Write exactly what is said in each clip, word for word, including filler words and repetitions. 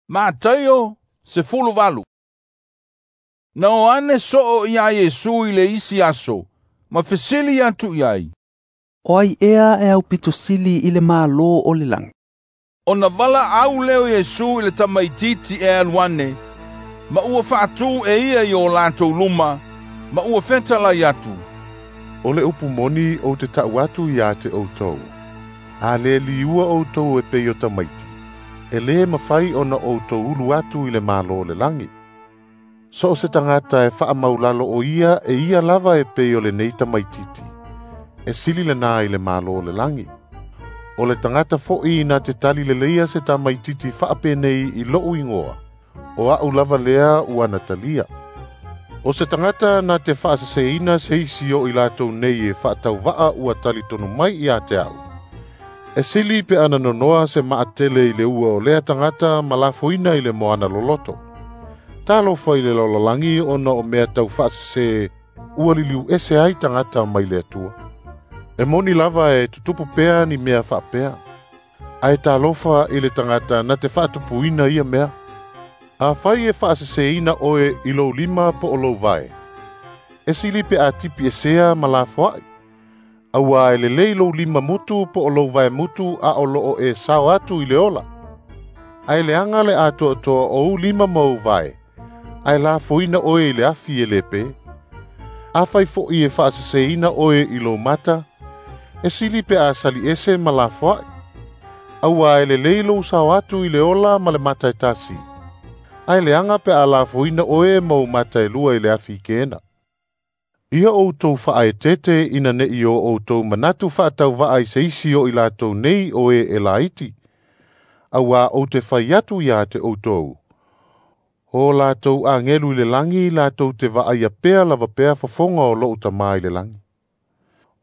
Mataio sefuluvalu. Na o ane soo ia Iesu i le isi aso, ma fesili atu i ai. O ai ea e aupito sili i le Malo o le lagi. Ona valaau lea o Iesu i le tamaitiiti e alu ane, ma ua faatū e ia i o latou luma, ma ua fetalai atu. O le upu moni ou te ta'u atu ia te outou. A le liua outou e pei o tamaiti, e lē mafai ona outou ulu atu i le Malo o le lagi. So o se tagata e faamaulalo o ia e ia lava e pei o lenei tamaitiiti, e sili lena i le Malo o le lagi. O le tagata fo'i na te tali leleia se tamaitiiti faapenei i lo'u igoa, o a'u lava lea ua na talia. O se tagata na te faaseseina se isi o i latou nei e faatauva'a ua talitonu mai ia te a'u, e sili pe ana nonoa se maatele i le ua o lea tagata ma lafoina i le moana loloto. Talofa i le lalolagi ona o mea tau faasese ua liliu ese ai tagata mai le Atua. E moni lava e tutupu pea ni mea faapea, ae talofa i le tagata na te faatupuina ia mea. Afai e faaseseina oe i lou lima po o lou vae, e sili pe a tipi esea ma lafoa'i, auā e lelei lou lima mutu po o lou vae mutu a o loo e sao atu i le ola. Ae leaga le atoatoa o ou lima ma ou vae, ae lafoina oe i le afi e lē pē. Afai fo'i e faaseseina oe i lou mata, e sili pe a sali ese ma lafoa'i, auā e lelei lou sao atu i le ola ma le mata e tasi, ae leaga pe a lafoina oe ma ou mata e lua i le afi i kena. Ia outou faaeteete ina ne'i o outou manatu faatauva'a i se isi o i latou nei o e e laiti, auā ou te fai atu ia te outou. O latou agelu i le lagi latou te vaaia pea lava pea fofoga o lo'u Tamā i le lagi.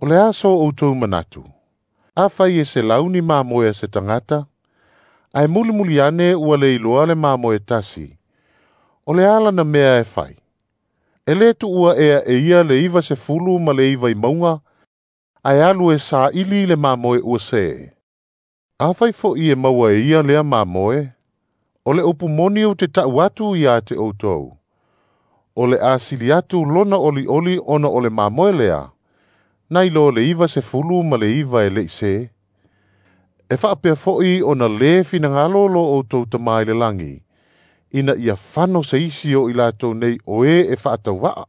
O le a so outou manatu? Afai e selau ni mamoe a se tagata, ae mulimuli ane ua le iloa le mamoe tasi, o le a lana mea e fai? E lē tu'ua ea e ia le iva sefulu ma le iva i mauga, ae alu e saili le mamoe ua sē. Afai fo'i e maua e ia lea mamoe, o le upu moni ou te ta'u atu ia te outou. O le a sili atu lona olioli ona o le mamoe lea, nai lo le iva sefulu ma le iva e le'i sē. E faapea fo'i ona lē finagalo lo outou Tamā i le lagi, ina ia fano se isi o i latou nei o e e faatauva'a.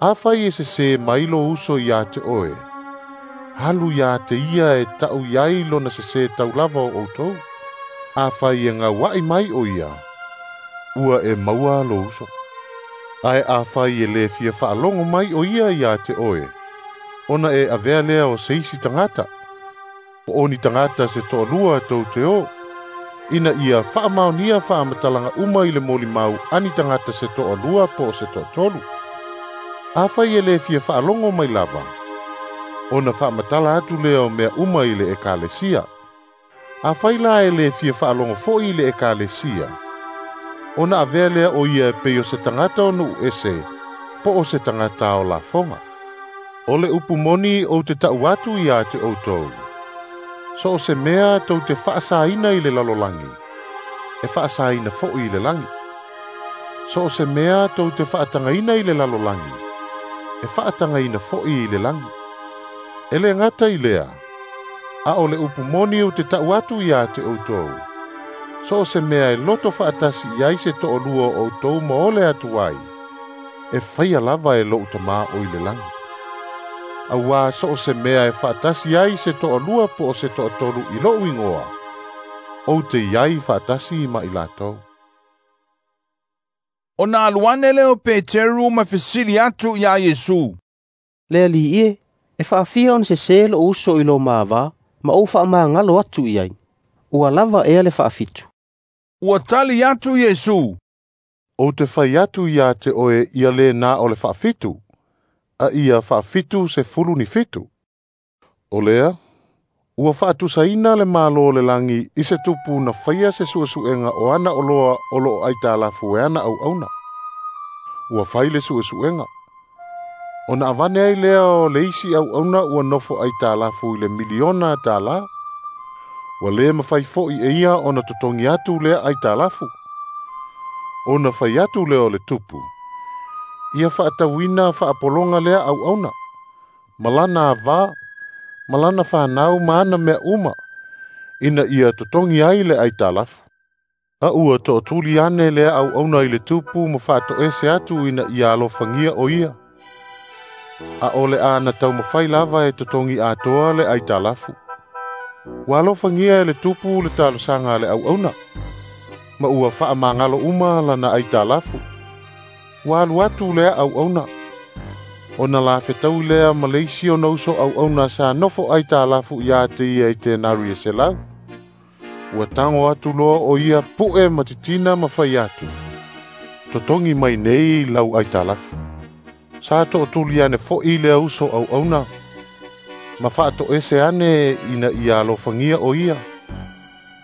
Afai e sesē mai lou uso ia te oe, alu ia te ia e ta'u i ai lona sesē taulava o outou. Afai e gaua'i mai o ia, ua e maua lou uso. Ae afai e lē fia faalogo mai o ia ia te oe, ona e avea lea o se isi tagata, po o ni tagata se toalua tou te o, ina ia faamaonia faamatalaga uma i le molimau a ni tagata se toalua po o se toatolu. Afai e lē fia faalogo mai lava, ona faamatala atu lea o mea uma i le ekalesia. Afai la e lē fia faalogo fo'i i le ekalesia, ona avea lea o ia e pei o se tagata o nu'u ese, po o se tagata o lafoga. O le upu moni ou te ta'u atu ia te outou. So o se mea tou te faasaina i le lalolagi, e faasaina fo'i i le lagi. So o se mea tou te faatagaina i le lalolagi, e faatagaina fo'i i le lagi. E lē gata i lea, a o le upu moni ou te ta'u atu ia te outou. So o se mea e loto faatasi i ai se to'alua o outou ma ole atu ai, e faia lava e lo'u Tamā o i le lagi. Auā so o se mea e faatasi ai se to'alua po o se to'atolu i lo'u igoa, ou te i ai faatasi ma i latou. Ona alu ane lea o Peteru ma fesili atu iā Iesu. Le Alii e, e faafia ona sesē lo'u uso i lo mavā, ma ou faamagalo atu i ai. Ua lava ea le faafitu. Ua tali atu Iesu. Ou te fai atu ia te oe ia lē na o le faafitu, a ia faafitu sefulu ni fitu. O lea, ua faatusaina le Malo o le lagi i se tupu na faia se su'esu'ega o ana oloa o lo'o aitalafu e ana auauna. Ua fai le su'esu'ega. Ona avane ai lea o le isi auauna ua nofo aitalafu i le miliona tālā. Ua lē mafai fo'i e ia ona totogi atu lea aitalafu. Ona fai atu lea o le tupu, ia fa'atauina fa'apologa lea auauna, ma lana avā, ma lana fanau ma ana mea uma, ina ia totogi ai le aitalafu. A ua to'atuli ane lea auauna i le tupu ma fa'ato'ese atu ina ia alofagia o ia. A o le a na taumafai lava e totogi atoa le aitalafu. Ua alofagia e le tupu le talosaga a le auauna, ma ua fa'amagalo uma lana aitalafu. Ua alu atu lea auauna, ona lafetaui lea ma le isi ona uso auauna sa nofo aitalafu iā te ia i tenari e selau. Ua tago atu loa o ia pu'e ma titina ma fai atu, totogi mai nei lau aitalafu. Sa to'atuli ane fo'i lea uso auauna, ma fa'ato'ese ane ina ia alofagia o ia.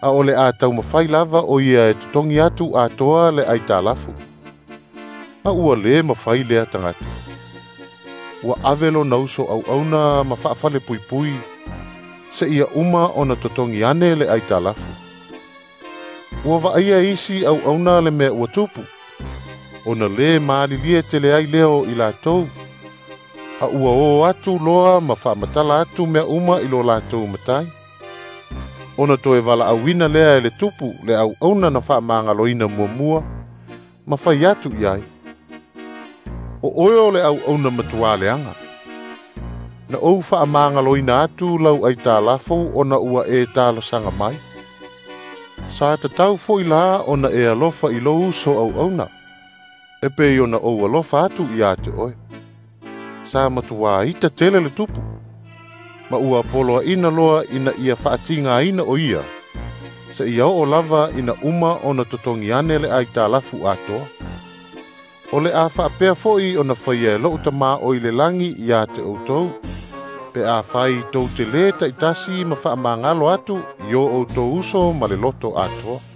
A o le a taumafai lava o ia e totogi atu atoa le aitalafu. A ua lē mafai lea tagata. Ua ave lona uso auauna ma fa'afalepuipui, se'ia uma ona totogi ane le aitalafu. Ua va'aia isi auauna le mea ua tupu, ona lē malilie tele ai lea o i latou, a ua o atu loa ma fa'amatala atu mea uma i lo latou matai. Ona toe vala'auina lea e le tupu le auauna na fa'amagaloina muamua, ma fai atu i ai, o oe o le auauna matuā leaga. Na ou fa'amagaloina atu lau aitalafu ona ua e talosaga mai. Sa tatau fo'i la ona e alofa i lou uso auauna, e pei ona ou alofa atu iā te oe. Sa matuā ita tele le tupu, ma ua poloaina loa ina ia fa'atigāina o ia, se'ia o'o lava ina uma ona totogi ane le aitalafu atoa. O le a fa'apea fo'i ona faia e lo'u Tamā o i le lagi iā te outou, pe afai tou te lē ta'itasi ma fa'amagalo atu i o outou uso ma le loto atoa.